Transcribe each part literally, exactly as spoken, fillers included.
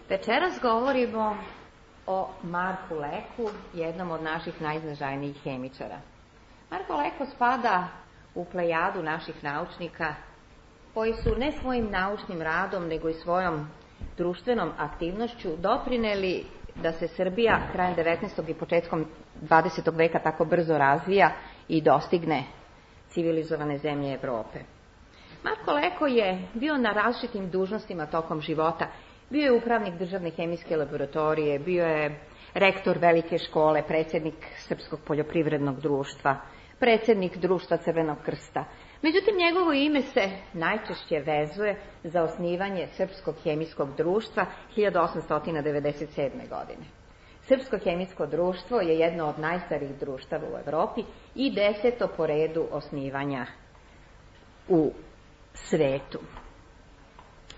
Večeras govorimo o Marku Leku, jednom od naših najznačajnijih hemičara. Marko Leko spada u plejadu naših naučnika koji su ne svojim naučnim radom, nego i svojom društvenom aktivnošću doprineli da se Srbija krajem devetnaestog i početkom dvadesetog veka tako brzo razvija i dostigne civilizovane zemlje Evrope. Marko Leko je bio na različitim dužnostima tokom života. Bio je upravnik državne hemijske laboratorije, bio je rektor velike škole, predsjednik Srpskog poljoprivrednog društva, predsjednik društva Crvenog krsta. Međutim, njegovo ime se najčešće vezuje za osnivanje Srpskog hemijskog društva hiljadu osamsto devedeset sedme. godine. Srpsko hemijsko društvo je jedno od najstarijih društava u Evropi i deseto po redu osnivanja u svetu.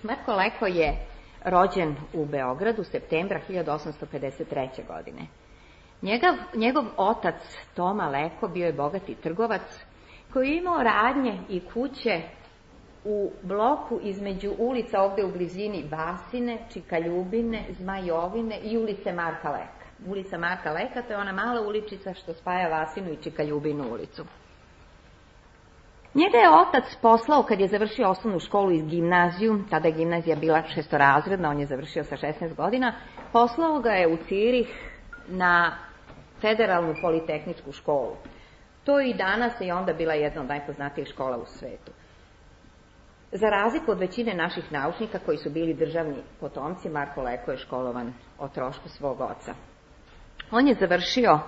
Marko Leko je rođen u Beogradu septembra hiljadu osamsto pedeset treće. godine. Njegov, njegov otac Toma Leko bio je bogati trgovac koji je imao radnje i kuće u bloku između ulica ovde u blizini Basine, Čikaljubine, Zmajovine i ulice Marka Leka. Ulica Marka Leka, to je ona mala uličica što spaja Vasinu i Čikaljubinu ulicu. Njega je otac poslao kad je završio osnovnu školu i gimnaziju, tada je gimnazija bila šestorazredna, on je završio sa šesnaest godina, poslao ga je u Cirih na Federalnu politehničku školu. To i danas je onda bila jedna od najpoznatijih škola u svetu. Za razliku od većine naših naučnika koji su bili državni potomci, Marko Leko je školovan o trošku svog oca. On je završio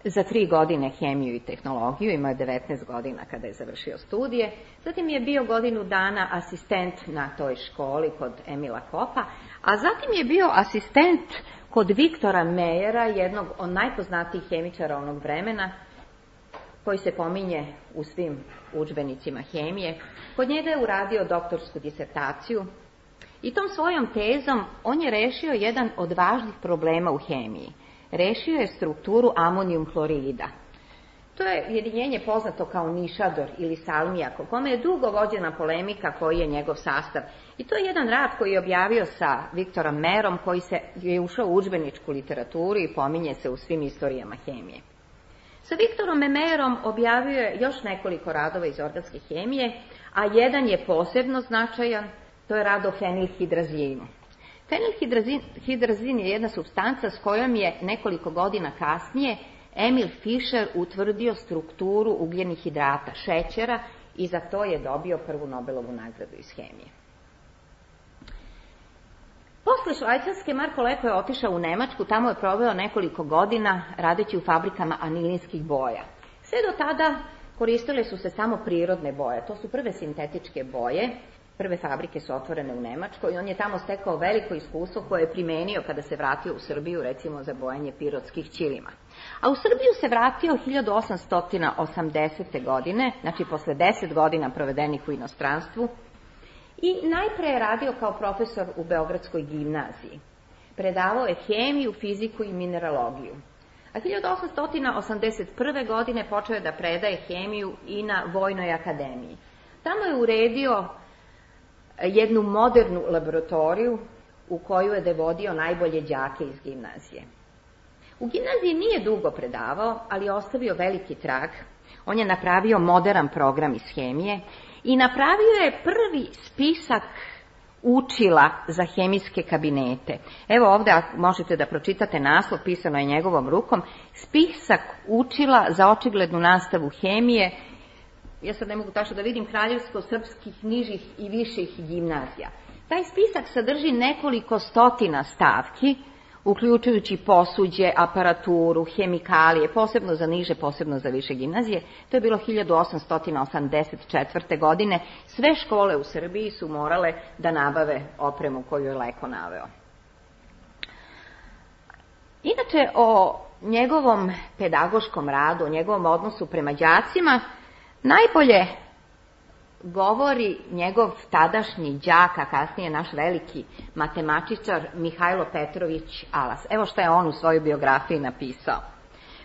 za tri godine hemiju i tehnologiju, imao je devetnaest godina kada je završio studije, zatim je bio godinu dana asistent na toj školi kod Emila Kopa, a zatim je bio asistent kod Viktora Mejera, jednog od najpoznatijih hemičara onog vremena, koji se pominje u svim udžbenicima hemije. Kod njega je uradio doktorsku disertaciju i tom svojom tezom on je rešio jedan od važnih problema u hemiji. Rešio je strukturu amonijum hlorida. To je jedinjenje poznato kao nišador ili salmijak, o kome je dugo vođena polemika koji je njegov sastav. I to je jedan rad koji je objavio sa Viktorom Mejerom, koji se je ušao u udžbeničku literaturu i pominje se u svim istorijama hemije. Sa Viktorom Mejerom objavio je još nekoliko radova iz organske hemije, a jedan je posebno značajan, to je rad o fenilhidrazinu. Fenilhidrazin je jedna supstanca s kojom je nekoliko godina kasnije Emil Fischer utvrdio strukturu ugljenih hidrata, šećera, i za to je dobio prvu Nobelovu nagradu iz hemije. Posle Švajcarske Marko Leko je otišao u Nemačku, tamo je proveo nekoliko godina radeći u fabrikama anilinskih boja. Sve do tada koristile su se samo prirodne boje, to su prve sintetičke boje. Prve fabrike su otvorene u Nemačkoj i on je tamo stekao veliko iskustvo koje je primenio kada se vratio u Srbiju, recimo za bojanje pirotskih ćilima. A u Srbiju se vratio hiljadu osamsto osamdesete. godine, znači posle deset godina provedenih u inostranstvu, i najpre je radio kao profesor u Beogradskoj gimnaziji. Predavao je hemiju, fiziku i mineralogiju. A hiljadu osamsto osamdeset prve. godine počeo je da predaje hemiju i na Vojnoj akademiji. Tamo je uredio jednu modernu laboratoriju u koju je devodio najbolje đake iz gimnazije. U gimnaziji nije dugo predavao, ali je ostavio veliki trag. On je napravio modern program iz hemije i napravio je prvi spisak učila za hemijske kabinete. Evo ovde možete da pročitate naslov, pisano je njegovom rukom, spisak učila za očiglednu nastavu hemije. Ja sad ne mogu tačno da vidim, kraljevsko-srpskih nižih i viših gimnazija. Taj spisak sadrži nekoliko stotina stavki, uključujući posuđe, aparaturu, hemikalije, posebno za niže, posebno za više gimnazije. To je bilo hiljadu osamsto osamdeset četvrte. godine. Sve škole u Srbiji su morale da nabave opremu koju je Leko naveo. Inače, o njegovom pedagoškom radu, o njegovom odnosu prema đacima, najbolje govori njegov tadašnji đak, a kasnije naš veliki matematičar Mihajlo Petrović Alas. Evo što je on u svojoj biografiji napisao.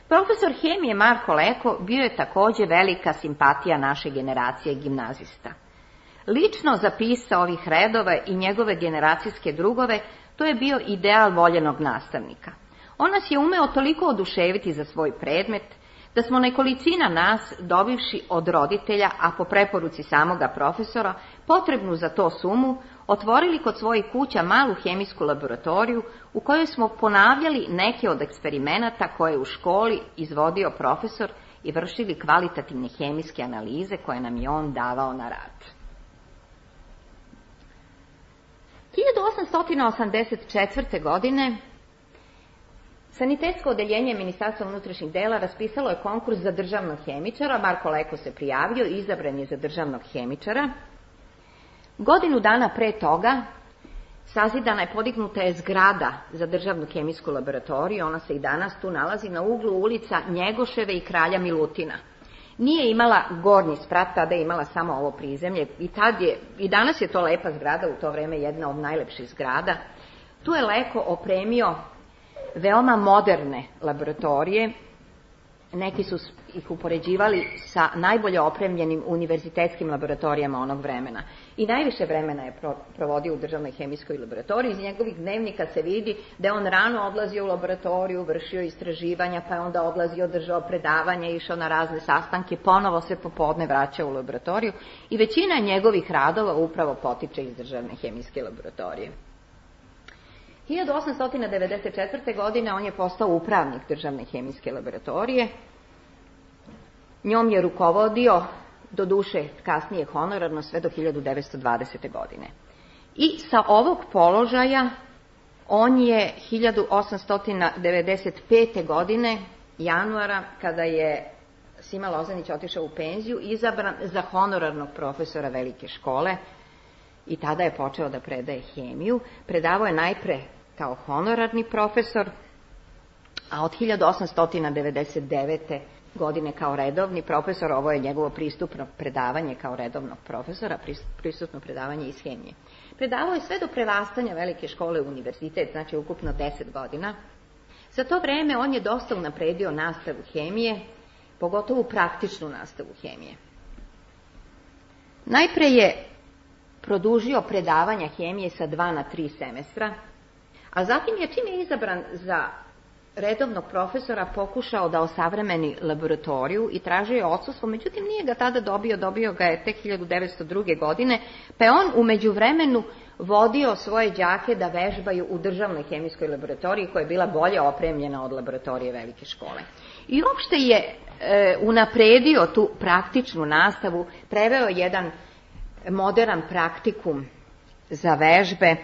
Profesor hemije Marko Leko bio je takođe velika simpatija naše generacije gimnazista. Lično zapisao ovih redova i njegove generacijske drugove, To je bio ideal voljenog nastavnika. On nas je umeo toliko oduševiti za svoj predmet, da smo nekolicina nas, dobivši od roditelja, a po preporuci samoga profesora, potrebnu za to sumu, otvorili kod svojih kuća malu hemijsku laboratoriju u kojoj smo ponavljali neke od eksperimenata koje je u školi izvodio profesor i vršili kvalitativne hemijske analize koje nam je on davao na rad. hiljadu osamsto osamdeset četvrte. godine Sanitetsko odeljenje Ministarstva unutrašnjih dela raspisalo je konkurs za državnog hemičara, Marko Leko se prijavio i izabran je za državnog hemičara. Godinu dana pre toga sazidana je, podignuta je zgrada za državnu hemijsku laboratoriju, ona se i danas tu nalazi na uglu ulica Njegoševe i Kralja Milutina. Nije imala gornji sprat, tada je imala samo ovo prizemlje i, tad je, i danas je to lepa zgrada, u to vreme jedna od najlepših zgrada. Tu je Leko opremio veoma moderne laboratorije, neki su ih upoređivali sa najbolje opremljenim univerzitetskim laboratorijama onog vremena. I najviše vremena je provodio u državnoj hemijskoj laboratoriji. Iz njegovih dnevnika se vidi da je on rano odlazio u laboratoriju, vršio istraživanja, pa je onda odlazio, držao predavanja, išao na razne sastanke, ponovo se popodne vraćao u laboratoriju i većina njegovih radova upravo potiče iz državne hemijske laboratorije. hiljadu osamsto devedeset četvrte. godine on je postao upravnik državne hemijske laboratorije. Njom je rukovodio, do duše kasnije honorarno, sve do hiljadu devetsto dvadesete. godine. I sa ovog položaja on je hiljadu osamsto devedeset pete. godine, januara, kada je Sima Lozanić otišao u penziju, izabran za honorarnog profesora velike škole i tada je počeo da predaje hemiju. Predavao je najpre kao honorarni profesor, a od hiljadu osamsto devedeset devete. godine kao redovni profesor, ovo je njegovo pristupno predavanje kao redovnog profesora, pristupno predavanje iz hemije. Predavao je sve do prerastanja velike škole u univerzitet, znači ukupno deset godina. Za to vreme on je dosta unapredio nastavu hemije, pogotovo praktičnu nastavu hemije. Najpre je produžio predavanja hemije sa dva na tri semestra, a zatim je, čim je izabran za redovnog profesora, pokušao da osavremeni laboratoriju i tražio je odsustvo, međutim nije ga tada dobio, dobio ga je tek hiljadu devetsto druge. godine, pa je on u međuvremenu vodio svoje đake da vežbaju u državnoj hemijskoj laboratoriji koja je bila bolje opremljena od laboratorije velike škole. I uopšte je e, unapredio tu praktičnu nastavu, preveo jedan modern praktikum za vežbe,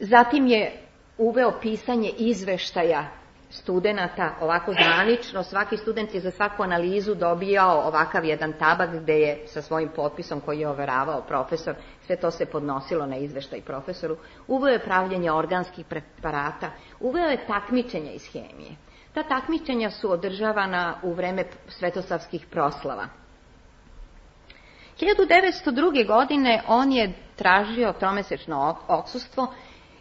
zatim je uveo pisanje izveštaja studenata, ovako zvanično, svaki student je za svaku analizu dobijao ovakav jedan tabak gde je sa svojim potpisom koji je overavao profesor, sve to se podnosilo na izveštaj profesoru. Uveo je pravljenje organskih preparata, uveo je takmičenja iz hemije. Ta takmičenja su održavana u vreme svetosavskih proslava. hiljadu devetsto druge. godine on je tražio tromesečno odsustvo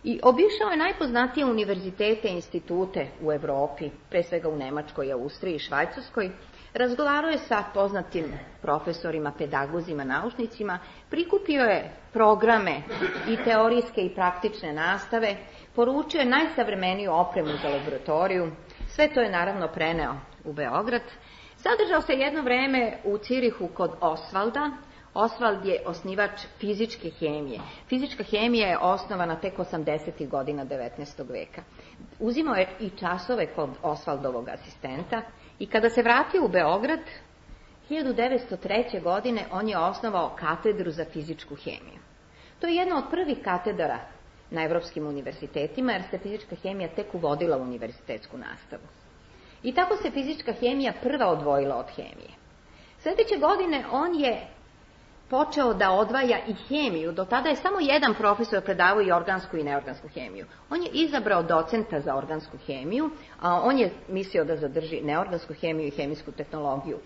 i obišao je najpoznatije univerzitete i institute u Evropi, pre svega u Nemačkoj, Austriji i Švajcarskoj. Razgovarao je sa poznatim profesorima, pedagozima, naučnicima, prikupio je programe i teorijske i praktične nastave, poručio je najsavremeniju opremu za laboratoriju, sve to je naravno preneo u Beograd. Zadržao se jedno vreme u Cirihu kod Osvalda. Osvald je osnivač fizičke hemije. Fizička hemija je osnovana tek osamdesetih godina devetnaestog veka. Uzimao je i časove kod Osvaldovog asistenta i kada se vratio u Beograd, hiljadu devetsto treće. godine on je osnovao katedru za fizičku hemiju. To je jedna od prvih katedara na evropskim univerzitetima, jer se fizička hemija tek uvodila u univerzitetsku nastavu. I tako se fizička hemija prva odvojila od hemije. Sljedeće godine on je počeo da odvaja i hemiju. Do tada je samo jedan profesor predavao i organsku i neorgansku hemiju. On je izabrao docenta za organsku hemiju, a on je mislio da zadrži neorgansku hemiju i hemijsku tehnologiju.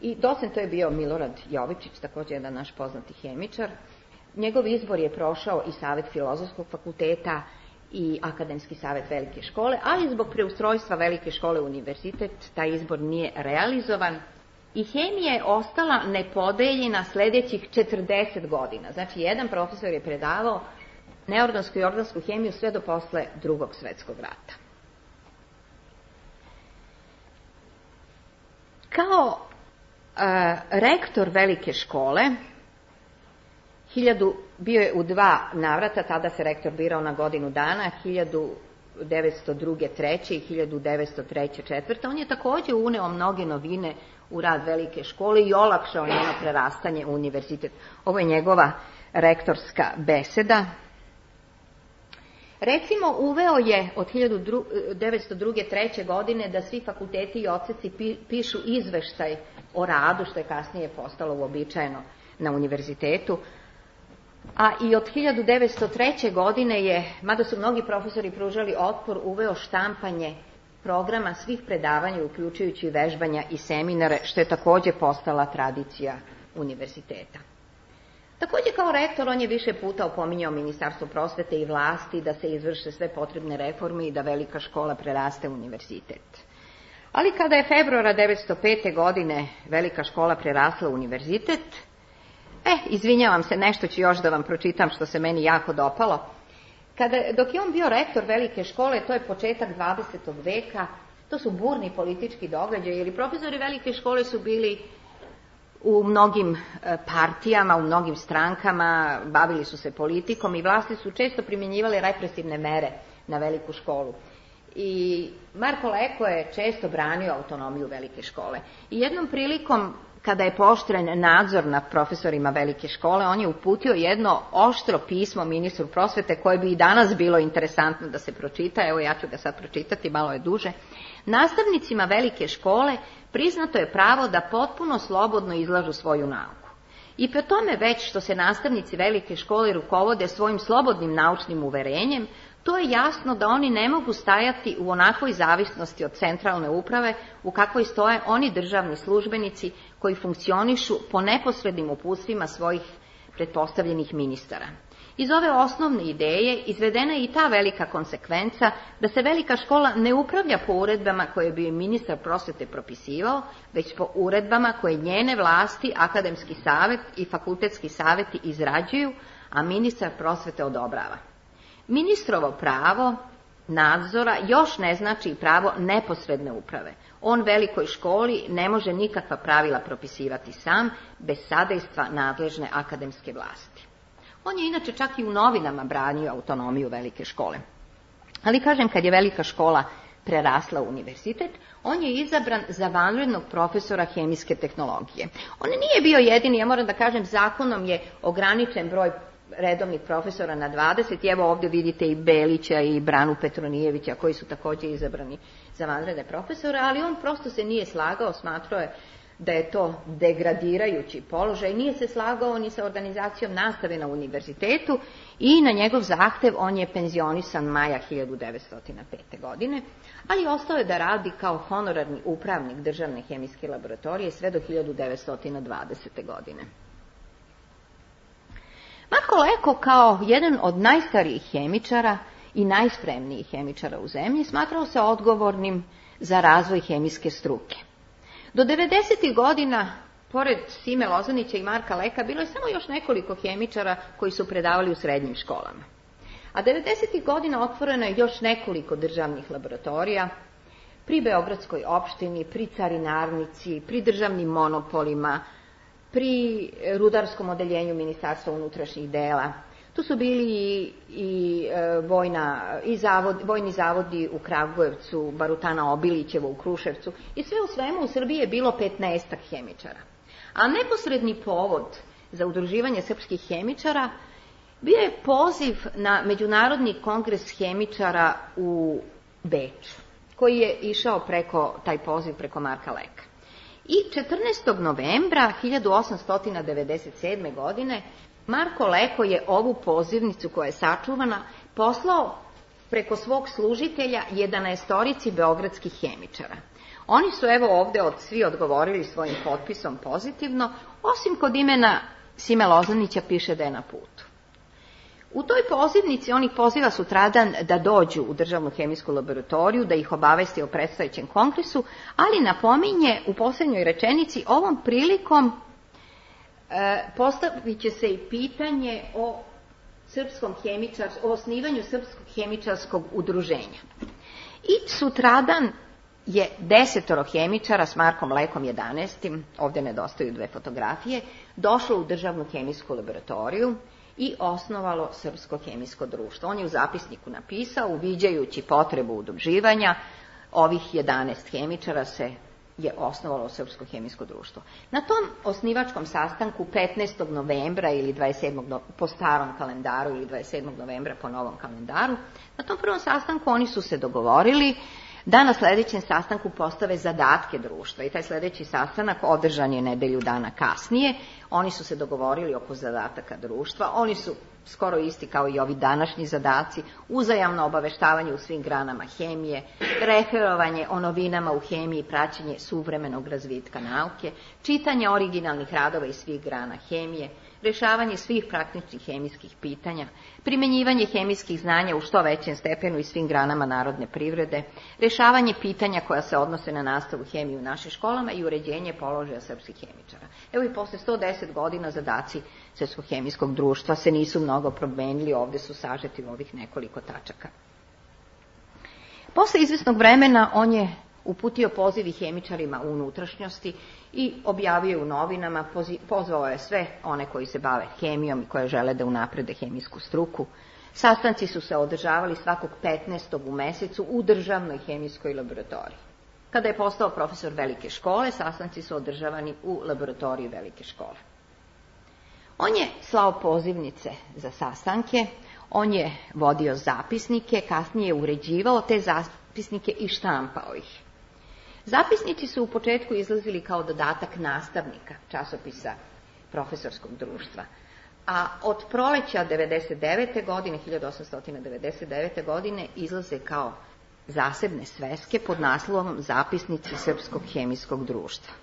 I docent to je bio Milorad Jovičić, također jedan naš poznati hemičar. Njegov izbor je prošao i Savet Filozofskog fakulteta i Akademski savet velike škole, ali zbog preustrojstva velike škole u univerzitet taj izbor nije realizovan. I hemija je ostala nepodeljena sljedećih četrdeset godina. Znači, jedan profesor je predavao neorgansku i organsku hemiju sve do posle Drugog svetskog rata. Kao e, rektor velike škole, hiljadu, bio je u dva navrata, tada se rektor birao na godinu dana, hiljadu devetsto druge treće i hiljadu devetsto treće četvrte. On je takođe uneo mnoge novine u rad velike škole i olakšao njeno prerastanje u univerzitet. Ovo je njegova rektorska beseda. Recimo, uveo je od hiljadu devetsto druge treće godine da svi fakulteti i odseci pišu izveštaj o radu, što je kasnije postalo uobičajeno na univerzitetu. A i od hiljadu devetsto treće godine je, mada su mnogi profesori pružali otpor, uveo štampanje programa svih predavanja, uključujući vežbanja i seminare, što je takođe postala tradicija univerziteta. Takođe, kao rektor, on je više puta opominjao Ministarstvo prosvete i vlasti da se izvrše sve potrebne reforme i da velika škola preraste u univerzitet. Ali kada je februara devetsto pete godine velika škola prerasla u univerzitet, e, izvinjavam se, nešto ću još da vam pročitam što se meni jako dopalo. Kada, dok je on bio rektor velike škole, to je početak dvadesetog veka, to su burni politički događaji, jer profesori velike škole su bili u mnogim partijama, u mnogim strankama, bavili su se politikom i vlasti su često primjenjivale represivne mere na veliku školu. I Marko Leko je često branio autonomiju velike škole. I jednom prilikom, kada je pooštren nadzor nad profesorima velike škole, on je uputio jedno oštro pismo ministru prosvete koje bi i danas bilo interesantno da se pročita. Evo, ja ću ga sad pročitati, malo je duže. Nastavnicima velike škole priznato je pravo da potpuno slobodno izlažu svoju nauku. I pre tome već što se nastavnici velike škole rukovode svojim slobodnim naučnim uverenjem, to je jasno da oni ne mogu stajati u onakvoj zavisnosti od centralne uprave u kakvoj stoje oni državni službenici koji funkcionišu po neposrednim uputstvima svojih pretpostavljenih ministara. Iz ove osnovne ideje izvedena je i ta velika konsekvenca da se velika škola ne upravlja po uredbama koje bi ministar prosvete propisivao, već po uredbama koje njene vlasti, akademski savet i fakultetski saveti izrađuju, a ministar prosvete odobrava. Ministrovo pravo nadzora još ne znači pravo neposredne uprave. On velikoj školi ne može nikakva pravila propisivati sam, bez sadejstva nadležne akademske vlasti. On je inače čak i u novinama branio autonomiju velike škole. Ali kažem, kad je velika škola prerasla u univerzitet, on je izabran za vanrednog profesora hemijske tehnologije. On nije bio jedini, ja moram da kažem, zakonom je ograničen broj redovnih profesora na dvadeset, i evo ovdje vidite i Belića i Branu Petronijevića koji su također izabrani za vanredne profesore, ali on prosto se nije slagao, smatrao je da je to degradirajući položaj, nije se slagao ni sa organizacijom nastave na univerzitetu i na njegov zahtev on je penzionisan maja hiljadu devetsto pete. godine, ali ostao je da radi kao honorarni upravnik državne hemijske laboratorije sve do hiljadu devetsto dvadesete. godine. Marko Leko kao jedan od najstarijih hemičara i najspremnijih hemičara u zemlji smatrao se odgovornim za razvoj hemijske struke. Do devedesetih godina, pored Sime Lozanića i Marka Leka, bilo je samo još nekoliko hemičara koji su predavali u srednjim školama. A devedesetih godina otvoreno je još nekoliko državnih laboratorija pri Beogradskoj opštini, pri carinarnici, pri državnim monopolima, pri rudarskom odeljenju Ministarstva unutrašnjih dela. Tu su bili i, i, vojna, i zavod, vojni zavodi u Kragujevcu, Barutana Obilićevo u Kruševcu i sve u svemu u Srbiji je bilo petnaestak hemičara. A neposredni povod za udruživanje srpskih hemičara bio je poziv na Međunarodni kongres hemičara u Beču, koji je išao preko, taj poziv preko Marka Leka. I četrnaestog novembra hiljadu osamsto devedeset sedme. godine Marko Leko je ovu pozivnicu koja je sačuvana poslao preko svog služitelja jedanaestorici beogradskih hemičara. Oni su evo ovde od svi odgovorili svojim potpisom pozitivno, osim kod imena Sime Lozanića piše da je na putu. U toj pozivnici on ih poziva sutradan da dođu u državnu hemijsku laboratoriju, da ih obavesti o predstojećem kongresu, ali napominje u posljednjoj rečenici ovom prilikom e, postavit će se i pitanje o srpskom hemičar, o osnivanju Srpskog hemičarskog udruženja. I sutradan je desetoro hemičara s Markom Lekom jedanaestim, ovdje nedostaju dve fotografije, došlo u državnu hemijsku laboratoriju i osnovalo Srpsko hemijsko društvo. On je u zapisniku napisao, uviđajući potrebu udruživanja, ovih jedanaest hemičara se je osnovalo Srpsko hemijsko društvo. Na tom osnivačkom sastanku petnaestog novembra ili dvadeset sedmog po starom kalendaru ili dvadeset sedmog novembra po novom kalendaru, na tom prvom sastanku oni su se dogovorili da na sljedećem sastanku postave zadatke društva i taj sljedeći sastanak održan je nedelju dana kasnije. Oni su se dogovorili oko zadataka društva, oni su skoro isti kao i ovi današnji zadaci, uzajamno obaveštavanje u svim granama hemije, referovanje o novinama u hemiji, praćenje suvremenog razvitka nauke, čitanje originalnih radova iz svih grana hemije, rješavanje svih praktičnih hemijskih pitanja, primjenjivanje hemijskih znanja u što većem stepenu i svim granama narodne privrede, rješavanje pitanja koja se odnose na nastavu hemije u našim školama i uređenje položaja srpskih hemičara. Evo i posle sto deset godina zadaci Srpskog hemijskog društva se nisu mnogo promenili, ovdje su sažeti u ovih nekoliko tačaka. Posle izvesnog vremena on je uputio poziv hemičarima u unutrašnjosti i objavio u novinama, pozvao je sve one koji se bave hemijom i koje žele da unaprede hemijsku struku. Sastanci su se održavali svakog petnaestog u mesecu u državnoj hemijskoj laboratoriji. Kada je postao profesor velike škole, sastanci su održavani u laboratoriji velike škole. On je slao pozivnice za sastanke, on je vodio zapisnike, kasnije je uređivao te zapisnike i štampao ih. Zapisnici su u početku izlazili kao dodatak nastavnika časopisa profesorskog društva, a od proleća devedeset devete godine, hiljadu osamsto devedeset devete. godine izlaze kao zasebne sveske pod naslovom Zapisnici Srpskog hemijskog društva.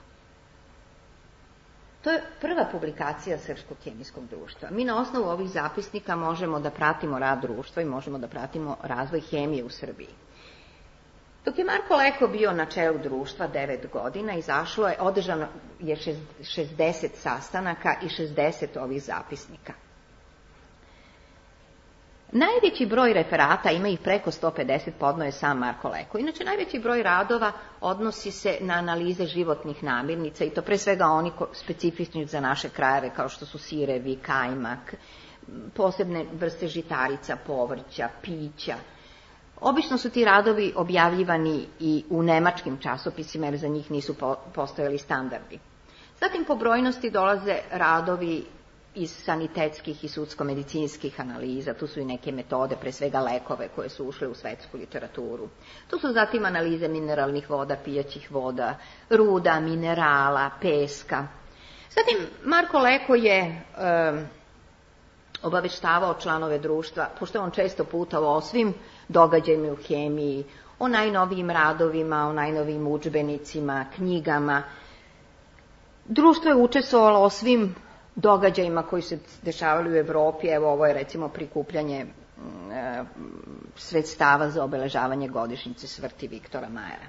To je prva publikacija Srpskog hemijskog društva. Mi na osnovu ovih zapisnika možemo da pratimo rad društva i možemo da pratimo razvoj hemije u Srbiji. Dok je Marko Leko bio na čelu društva devet godina, izašlo je, održano je šezdeset sastanaka i šezdeset ovih zapisnika. Najveći broj referata, ima ih preko sto pedeset, podnio je sam Marko Leko. Inače, najveći broj radova odnosi se na analize životnih namirnica i to pre svega oni specifični za naše krajeve, kao što su sirevi, kajmak, posebne vrste žitarica, povrća, pića. Obično su ti radovi objavljivani i u nemačkim časopisima jer za njih nisu postojali standardi. Zatim po brojnosti dolaze radovi iz sanitetskih i sudsko-medicinskih analiza, tu su i neke metode, pre svega lekove koje su ušle u svetsku literaturu. Tu su zatim analize mineralnih voda, pijaćih voda, ruda, minerala, peska. Zatim Marko Leko je e, obaveštavao članove društva, pošto on često putovao o svim događajima u hemiji, o najnovijim radovima, o najnovijim udžbenicima, knjigama. Društvo je učestvovalo o svim događajima koji se dešavali u Evropi. Evo, ovo je recimo prikupljanje e, sredstava za obeležavanje godišnjice smrti Viktora Majera.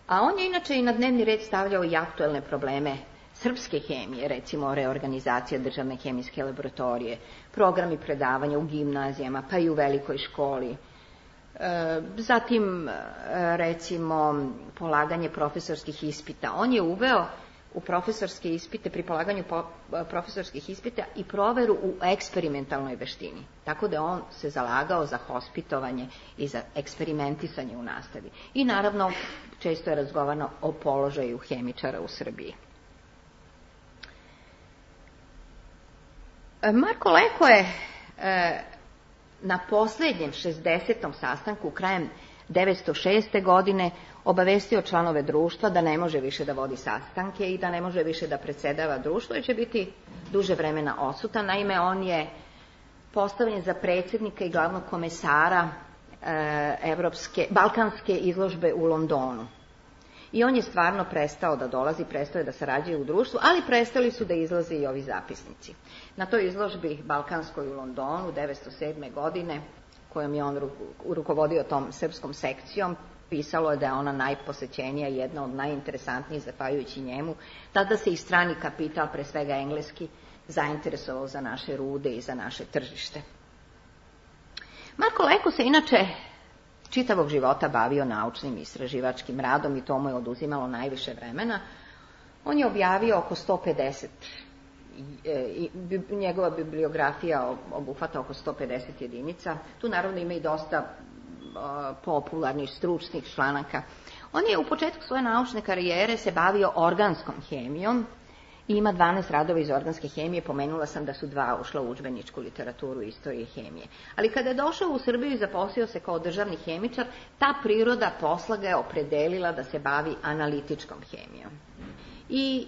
A on je inače i na dnevni red stavljao i aktuelne probleme srpske hemije, recimo reorganizacija državne hemijske laboratorije, programi predavanja u gimnazijama, pa i u velikoj školi. E, zatim, recimo, polaganje profesorskih ispita. On je uveo u profesorske ispite, pri polaganju profesorskih ispita i proveru u eksperimentalnoj veštini. Tako da on se zalagao za hospitovanje i za eksperimentisanje u nastavi. I naravno, često je razgovarano o položaju hemičara u Srbiji. Marko Leko je e, na posljednjem šezdesetom sastanku krajem devetsto šeste. godine obavestio članove društva da ne može više da vodi sastanke i da ne može više da predsjedava društvo i će biti duže vremena odsutan. Naime, on je postavljen za predsjednika i glavnog komesara e, Evropske, Balkanske izložbe u Londonu. I on je stvarno prestao da dolazi, prestao je da sarađuje u društvu, ali prestali su da izlaze i ovi zapisnici. Na toj izložbi Balkanskoj u Londonu devetsto sedme. godine, kojom je on rukovodio tom srpskom sekcijom, pisalo je da je ona najposećenija, jedna od najinteresantnijih zahvaljujući njemu. Tada se i strani kapital, pre svega engleski, zainteresovao za naše rude i za naše tržište. Marko Leko se inače čitavog života bavio naučnim i istraživačkim radom i to mu je oduzimalo najviše vremena. On je objavio oko sto pedeset, i njegova bibliografija obuhvata oko sto pedeset jedinica. Tu naravno ima i dosta popularnih stručnih članaka. On je u početku svoje naučne karijere se bavio organskom hemijom i ima dvanaest radova iz organske hemije. Pomenula sam da su dva ušla u udžbeničku literaturu istorije hemije. Ali kada je došao u Srbiju i zaposlio se kao državni hemičar, ta priroda posla ga je opredelila da se bavi analitičkom hemijom. I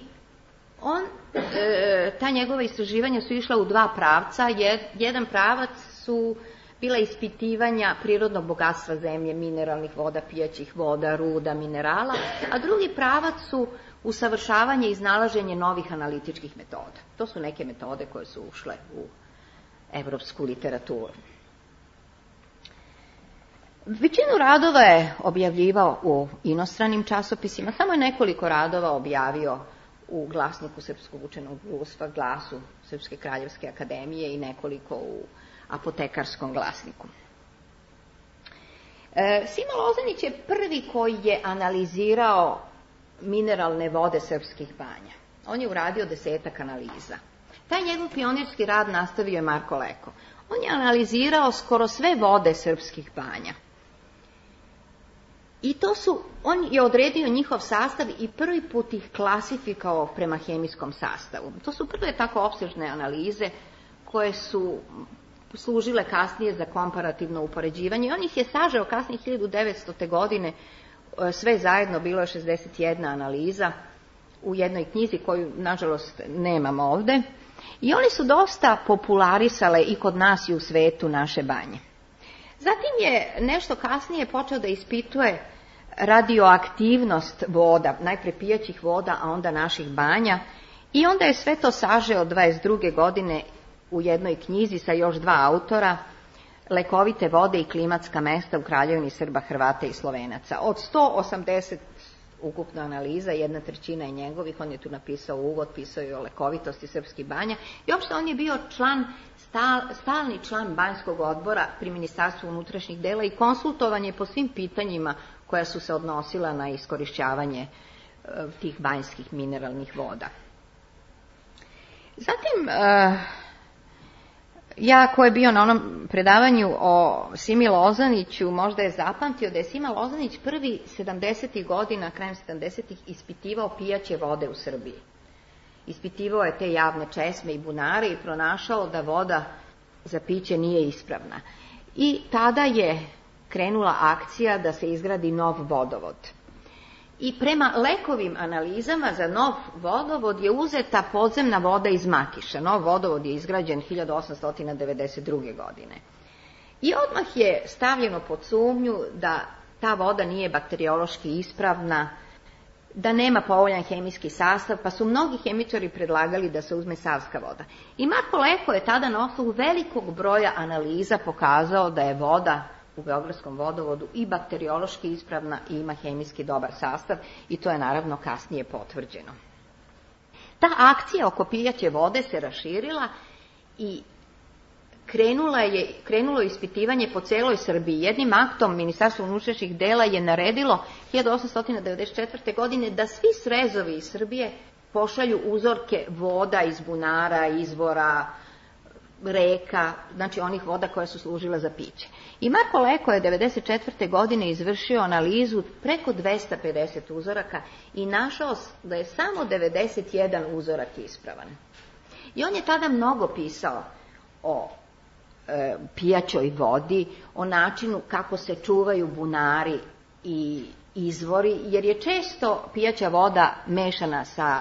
on, e, ta njegova istraživanja su išla u dva pravca. Jedan pravac su bila ispitivanja prirodnog bogatstva zemlje, mineralnih voda, pijaćih voda, ruda, minerala, a drugi pravac su usavršavanje i iznalaženje novih analitičkih metoda. To su neke metode koje su ušle u evropsku literaturu. Većinu radova je objavljivao u inostranim časopisima, samo je nekoliko radova objavio u Glasniku Srpskog učenog društva, Glasu Srpske kraljevske akademije i nekoliko u Apotekarskom glasniku. E, Sima Lozanić je prvi koji je analizirao mineralne vode srpskih banja. On je uradio desetak analiza. Taj njegov pionirski rad nastavio je Marko Leko. On je analizirao skoro sve vode srpskih banja. I to su, on je odredio njihov sastav i prvi put ih klasifikao prema hemijskom sastavu. To su prve tako opsežne analize koje su služile kasnije za komparativno upoređivanje. On ih je sažeo kasnije hiljadu devetstote. godine, sve zajedno bilo je šezdeset jedna analiza u jednoj knjizi koju, nažalost, nemam ovde. I oni su dosta popularisale i kod nas i u svetu naše banje. Zatim je nešto kasnije počeo da ispituje radioaktivnost voda, najpre pijaćih voda, a onda naših banja. I onda je sve to sažeo dvadeset druge. godine u jednoj knjizi sa još dva autora, Lekovite vode i klimatska mesta u Kraljevini Srba, Hrvata i Slovenaca. Od sto osamdeset ukupno analiza, jedna trećina je njegovih, on je tu napisao uvod, pisao je o lekovitosti srpskih banja i uopšte on je bio član, stal, stalni član banjskog odbora pri Ministarstvu unutrašnjih dela i konsultovan je po svim pitanjima koja su se odnosila na iskorišćavanje e, tih banjskih mineralnih voda. Zatim, e, ja ko je bio na onom predavanju o Simi Lozaniću, možda je zapamtio da je Sima Lozanić prvi sedamdesetih godina, krajem sedamdesetih ispitivao pijaće vode u Srbiji. Ispitivao je te javne česme i bunare i pronašao da voda za piće nije ispravna. I tada je krenula akcija da se izgradi nov vodovod. I prema Lekovim analizama za nov vodovod je uzeta podzemna voda iz Makiša. Nov vodovod je izgrađen hiljadu osamsto devedeset druge. godine. I odmah je stavljeno pod sumnju da ta voda nije bakteriološki ispravna, da nema povoljan hemijski sastav, pa su mnogi hemičari predlagali da se uzme savska voda. I Marko Leko je tada na osnovu velikog broja analiza pokazao da je voda u Beogradskom vodovodu i bakteriološki ispravna i ima hemijski dobar sastav i to je naravno kasnije potvrđeno. Ta akcija oko pijaće vode se raširila i krenula je, krenulo je ispitivanje po celoj Srbiji. Jednim aktom Ministarstvo unutrašnjih dela je naredilo hiljadu osamsto devedeset četvrte. godine da svi srezovi iz Srbije pošalju uzorke voda iz bunara, izvora, reka, znači onih voda koje su služile za piće. I Marko Leko je devedeset četvrte. godine izvršio analizu preko dvesta pedeset uzoraka i našao da je samo devedeset jedan uzorak ispravan. I on je tada mnogo pisao o e, pijaćoj vodi, o načinu kako se čuvaju bunari i izvori, jer je često pijaća voda mešana sa,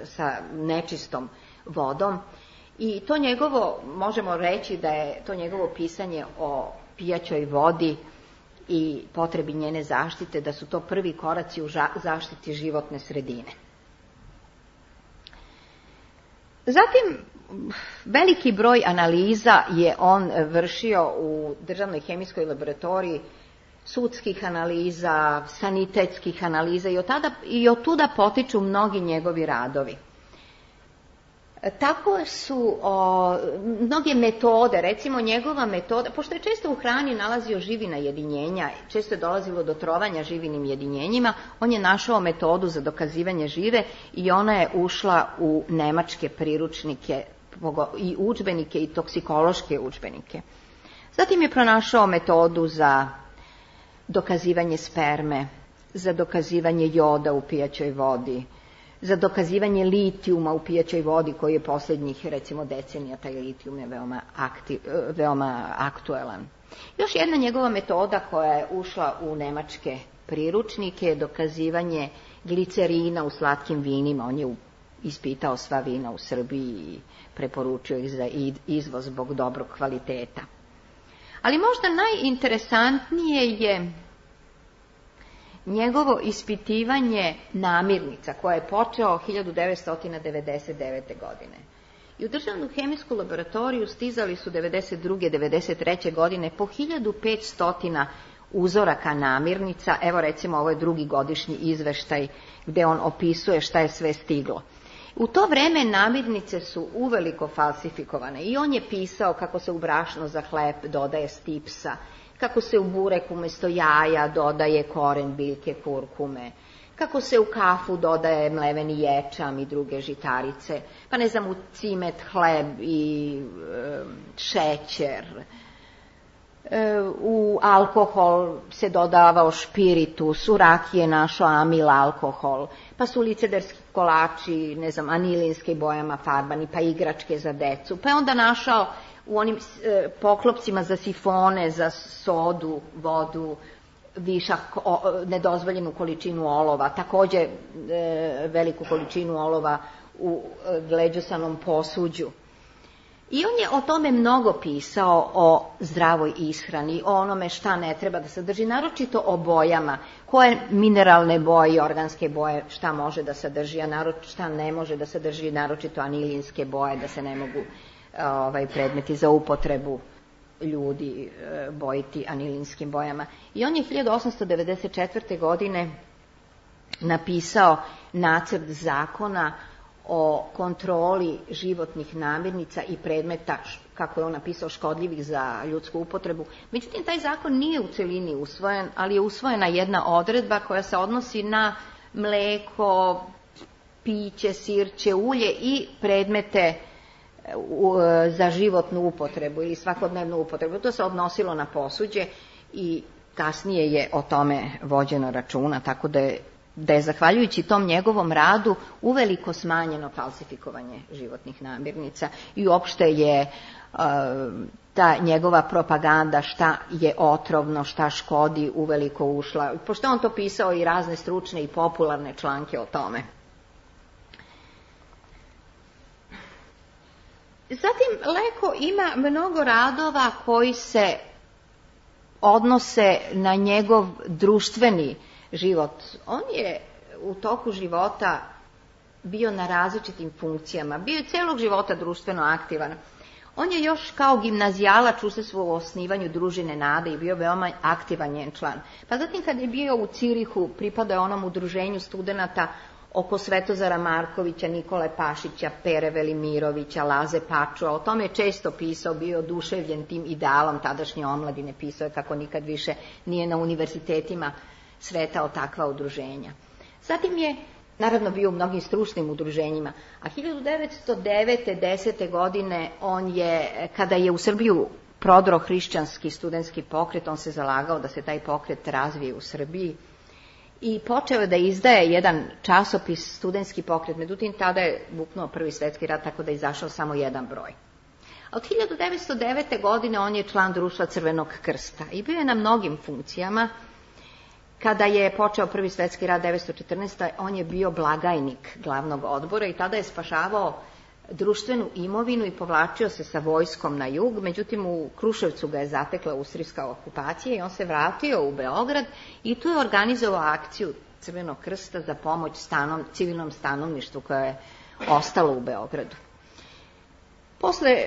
sa nečistom vodom. I to njegovo, možemo reći da je to njegovo pisanje o pijaćoj vodi i potrebi njene zaštite, da su to prvi koraci u zaštiti životne sredine. Zatim, veliki broj analiza je on vršio u Državnoj hemijskoj laboratoriji, sudskih analiza, sanitetskih analiza i od tada, i od tuda potiču mnogi njegovi radovi. Tako su o, mnoge metode, recimo njegova metoda, pošto je često u hrani nalazio živina jedinjenja, često je dolazilo do trovanja živinim jedinjenjima, on je našao metodu za dokazivanje žive i ona je ušla u nemačke priručnike i udžbenike i toksikološke udžbenike. Zatim je pronašao metodu za dokazivanje sperme, za dokazivanje joda u pijaćoj vodi, za dokazivanje litijuma u pijaćoj vodi koji je posljednjih recimo decenija, taj litijum je veoma, aktiv, veoma aktuelan. Još jedna njegova metoda koja je ušla u nemačke priručnike je dokazivanje glicerina u slatkim vinima. On je ispitao sva vina u Srbiji i preporučio ih za izvoz zbog dobrog kvaliteta. Ali možda najinteresantnije je njegovo ispitivanje namirnica koje je počeo hiljadu devetsto devedeset devete. godine. I u državnu hemijsku laboratoriju stizali su devedeset druge devedeset treće. godine po hiljadu petsto uzoraka namirnica. Evo recimo ovo je drugi godišnji izveštaj gdje on opisuje šta je sve stiglo. U to vreme namirnice su uveliko falsifikovane i on je pisao kako se u brašno za hleb dodaje stipsa, kako se u burek umjesto jaja dodaje koren biljke kurkume, kako se u kafu dodaje mleveni ječam i druge žitarice, pa ne znam, u cimet, hleb i e, šećer. E, u alkohol se dodavao špiritus, u rakije našao amil alkohol, pa su licedarski kolači, ne znam, anilinske bojama farbani, pa igračke za decu, pa je onda našao u onim e, poklopcima za sifone, za sodu, vodu, višak, o, nedozvoljenu količinu olova, također e, veliku količinu olova u e, gleđosanom posuđu. I on je o tome mnogo pisao, o zdravoj ishrani, o onome šta ne treba da sadrži, naročito o bojama, koje mineralne boje i organske boje šta može da sadrži, a naročito šta ne može da sadrži, naročito anilinske boje, da se ne mogu ovaj, predmeti za upotrebu ljudi bojiti anilinskim bojama. I on je hiljadu osamsto devedeset četvrte. godine napisao nacrt zakona o kontroli životnih namirnica i predmeta, kako je on napisao, škodljivih za ljudsku upotrebu. Međutim, taj zakon nije u celini usvojen, ali je usvojena jedna odredba koja se odnosi na mleko, piće, sirće, ulje i predmete za životnu upotrebu ili svakodnevnu upotrebu. To se odnosilo na posuđe i kasnije je o tome vođeno računa, tako da je da je zahvaljujući tom njegovom radu uveliko smanjeno falsifikovanje životnih namirnica i uopšte je uh, ta njegova propaganda šta je otrovno, šta škodi uveliko ušla. Pošto on to pisao i razne stručne i popularne članke o tome. Zatim Leko ima mnogo radova koji se odnose na njegov društveni život. On je u toku života bio na različitim funkcijama, bio je celog života društveno aktivan. On je još kao gimnazijalac učestvovao u osnivanju družine Nade i bio veoma aktivan njen član. Pa zatim kad je bio u Cirihu, pripadao je onom udruženju studenata oko Svetozara Markovića, Nikole Pašića, Pere Velimirovića, Laze Pačua. O tome je često pisao, bio oduševljen tim idealom tadašnje omladine, pisao je kako nikad više nije na univerzitetima sretao takva udruženja. Zatim je naravno bio u mnogim stručnim udruženjima, a hiljadu devetsto devete desete. godine on je, kada je u Srbiju prodro hrišćanski studentski pokret, on se zalagao da se taj pokret razvije u Srbiji i počeo da izdaje jedan časopis studentski pokret, međutim tada je buknuo Prvi svjetski rat, tako da je izašao samo jedan broj. A od hiljadu devetsto devete. godine on je član društva Crvenog krsta i bio je na mnogim funkcijama. Kada je počeo Prvi svjetski rat devetsto četrnaeste. on je bio blagajnik glavnog odbora i tada je spašavao društvenu imovinu i povlačio se sa vojskom na jug, međutim u Kruševcu ga je zatekla austrijska okupacija i on se vratio u Beograd i tu je organizovao akciju Crvenog krsta za pomoć stanom, civilnom stanovništvu koje je ostalo u Beogradu. Posle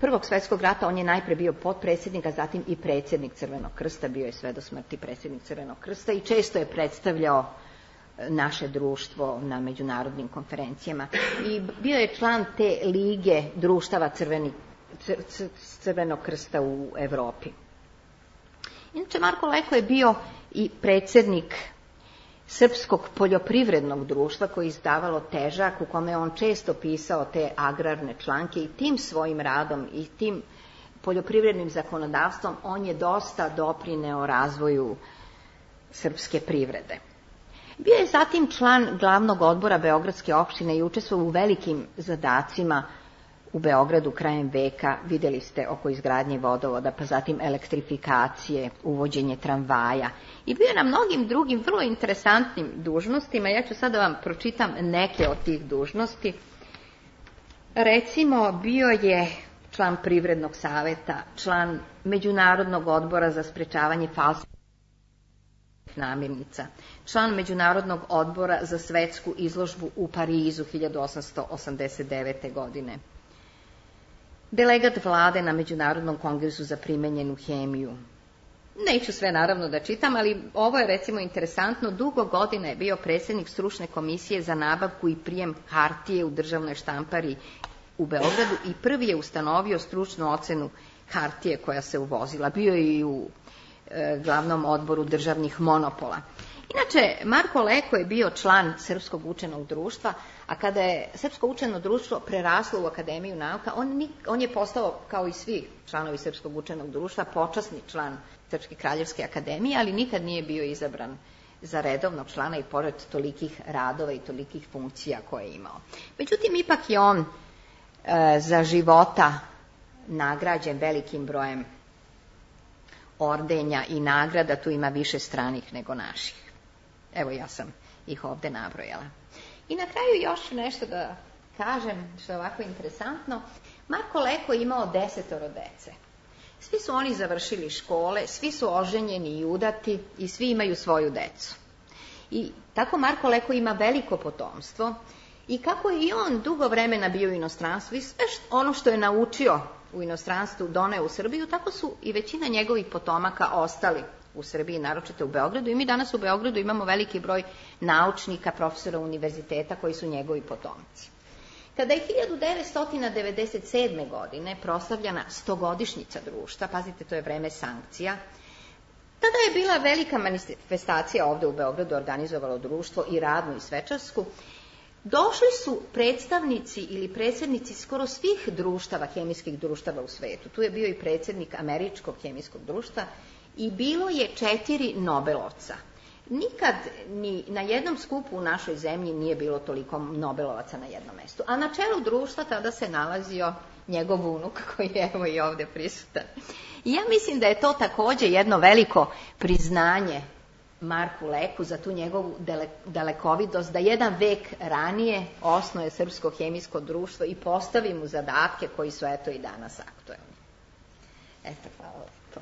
Prvog svjetskog rata on je najpre bio potpredsjednik, a zatim i predsjednik Crvenog krsta, bio je sve do smrti predsjednik Crvenog krsta i često je predstavljao naše društvo na međunarodnim konferencijama i bio je član te lige društava crveni, Crvenog krsta u Evropi. Inače, Marko Leko je bio i predsjednik Srpskog poljoprivrednog društva koji je izdavalo Težak, u kome je on često pisao te agrarne članke i tim svojim radom i tim poljoprivrednim zakonodavstvom on je dosta doprineo razvoju srpske privrede. Bio je zatim član glavnog odbora Beogradske opštine i učestvovao u velikim zadacima u Beogradu krajem veka. Vidjeli ste oko izgradnje vodovoda, pa zatim elektrifikacije, uvođenje tramvaja i bio je na mnogim drugim vrlo interesantnim dužnostima. Ja ću sada vam pročitam neke od tih dužnosti. Recimo, bio je član Privrednog saveta, član Međunarodnog odbora za sprečavanje falsifikovanih namirnica, član Međunarodnog odbora za svetsku izložbu u Parizu hiljadu osamsto osamdeset devete. godine, delegat vlade na Međunarodnom kongresu za primenjenu hemiju. Neću sve naravno da čitam, ali ovo je recimo interesantno. Dugo godina je bio predsjednik stručne komisije za nabavku i prijem hartije u državnoj štampari u Beogradu i prvi je ustanovio stručnu ocenu hartije koja se uvozila. Bio je i u e, glavnom odboru državnih monopola. Inače, Marko Leko je bio član Srpskog učenog društva, a kada je Srpsko učeno društvo preraslo u Akademiju nauka, on, on je postao, kao i svi članovi Srpskog učenog društva, počasni član Srpske kraljevske akademije, ali nikad nije bio izabran za redovnog člana i pored tolikih radova i tolikih funkcija koje je imao. Međutim, ipak je on e, za života nagrađen velikim brojem ordenja i nagrada, tu ima više stranih nego naših. Evo, ja sam ih ovde nabrojala. I na kraju još nešto da kažem, što je ovako interesantno. Marko Leko je imao desetoro dece. Svi su oni završili škole, svi su oženjeni i udati i svi imaju svoju decu. I tako Marko Leko ima veliko potomstvo i kako je i on dugo vremena bio u inostranstvu i sve ono što je naučio u inostranstvu doneo u Srbiju, tako su i većina njegovih potomaka ostali u Srbiji, naročito u Beogradu. I mi danas u Beogradu imamo veliki broj naučnika, profesora univerziteta koji su njegovi potomci. Kada je hiljadu devetsto devedeset sedme. godine proslavljena stogodišnjica društva, pazite, to je vreme sankcija, tada je bila velika manifestacija ovde u Beogradu, organizovalo društvo i radnu i svečarsku. Došli su predstavnici ili predsjednici skoro svih društava, hemijskih društava u svetu. Tu je bio i predsjednik Američkog hemijskog društva i bilo je četiri Nobelovca. Nikad ni na jednom skupu u našoj zemlji nije bilo toliko Nobelovaca na jednom mestu. A na čelu društva tada se nalazio njegov unuk koji je evo i ovdje prisutan. I ja mislim da je to također jedno veliko priznanje Marku Leku za tu njegovu dalekovidost, da jedan vek ranije osnuje Srpsko hemijsko društvo i postavi mu zadatke koji su eto i danas aktuelni. Eto, hvala to.